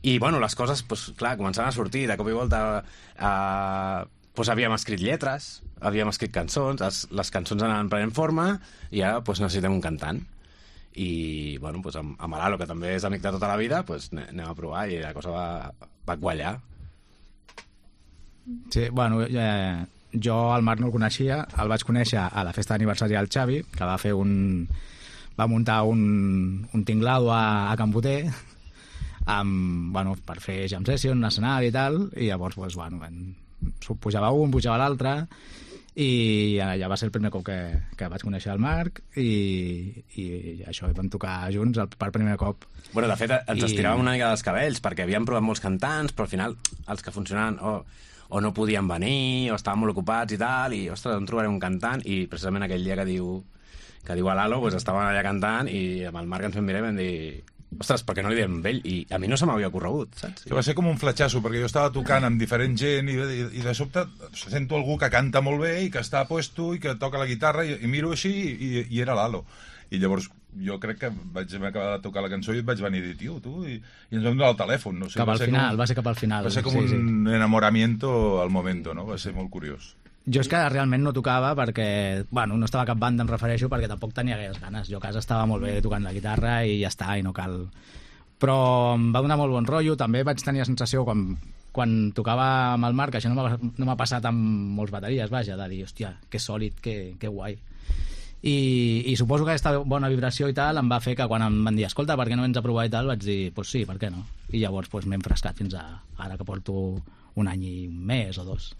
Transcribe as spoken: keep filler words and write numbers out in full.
I, bueno, les coses, doncs, clar, començaven a sortir, de cop i volta eh, doncs havíem escrit lletres, havíem escrit cançons, les, les cançons anaven prenent forma, i ara doncs, necessitem un cantant. I, bueno, doncs, amb, amb l'Alo, que també és amic de tota la vida, doncs, anem a provar, i la cosa va, va quallar. Sí, bueno, eh, jo el Marc no el coneixia, el vaig conèixer a la festa d'aniversari del Xavi, que va fer un... va muntar un, un tinglado a, a Can Boter, amb, bueno, per fer jam session, un escenari i tal, i llavors, pues, bueno, en, pujava un, pujava l'altre, i ja va ser el primer cop que, que vaig conèixer el Marc, i, i això, vam tocar junts el, per primer cop. Bueno, de fet, ens I... estiràvem una mica dels cabells, perquè havíem provat molts cantants, però al final els que funcionaven o, o no podien venir, o estaven molt ocupats i tal, i, ostres, on trobarem un cantant? I precisament aquell dia que diu, que diu a l'Alo, doncs estaven allà cantant, i amb el Marc ens vam mirar i vam dir... Ostres, per què no li diem amb ell? I a mi no se m'havia corregut, saps? Que va ser com un fletxasso, perquè jo estava tocant amb diferent gent i, i, i de sobte sento algú que canta molt bé i que està a puesto i que toca la guitarra i, i miro així i, i era l'Alo. I llavors jo crec que vaig acabar de tocar la cançó i et vaig venir a dir, tio, tu, i, i ens vam donar el telèfon. No? O sigui, cap al final, com, va ser cap al final. Va ser com sí, un sí. enamoramiento al momento, no? Va ser molt curiós. Jo és que realment no tocava perquè, bueno, no estava a cap banda, em refereixo, perquè tampoc tenia gaires ganes. Jo a casa estava molt bé tocant la guitarra i ja està, i no cal... Però em va donar molt bon rotllo. També vaig tenir la sensació, quan, quan tocava amb el Marc, això no m'ha no m'ha passat amb molts bateries, vaja, de dir, hòstia, que sòlid, que, que guai. I, I suposo que aquesta bona vibració i tal em va fer que quan em van dir, escolta, per què no vens a provar i tal, vaig dir, doncs pues sí, per què no? I llavors pues, m'he enfrescat fins a ara, que porto un any i un mes o dos.